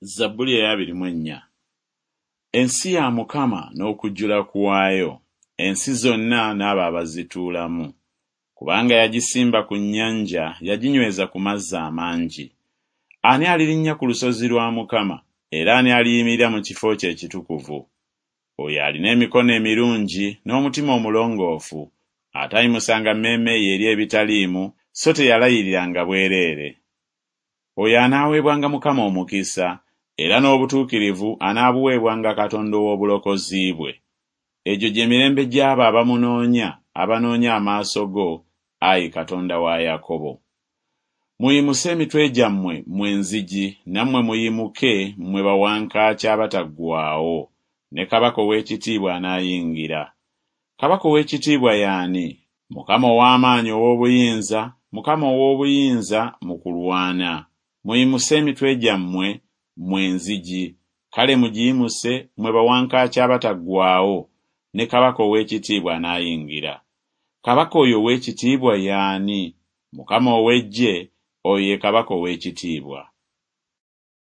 Zabbuli ey'abiri mu ennya. Ensi ya Mukama n'okujjula kwayo, ensi zonna n'abo abazituulamu. Kubanga yagisimba ku nnyanja, yaginyweza ku mazzi amangi. Ani alirinnya ku lusozi lwa Mukama, era ani aliyimirira mu kifo kye ekitukuvu? Oyo alina emikono emirungi n'omutima omulongoofu, atayimusanga mmeeme ye eri ebitaliimu, so teyalayiriranga bwereere. Oyo anaaweebwanga Mukama omukisa, era n'obutuukirivu anaabuweebwanga Katonda ow'obulokozi bwe. Egyo gye mirembe gy'abo abamunoonya, abanoonya amaaso go, ayi Katonda wa Yakobo. Muyimuse emitwe gyammwe, mmwe enzigi, nammwe muyimuke, mmwe bawankaaki abataggwaawo, ne Kabaka ow'ekitiibwa anaayingira. Kabaka ow'ekitiibwa ye ani? Mukama ow'amaanyi ow'obuyinza, Mukama ow'obuyinza mu kulwana. Muyimuse emitwe gyammwe, mmwe enzigi, kale mugiyimuse, mmwe bawankaaki abataggwaawo, ne Kabaka ow'ekitiibwa anaayingira. Kabaka oyo ow'ekitiibwa ye ani? Mukama ow'eggye, oyo ye Kabaka ow'ekitiibwa.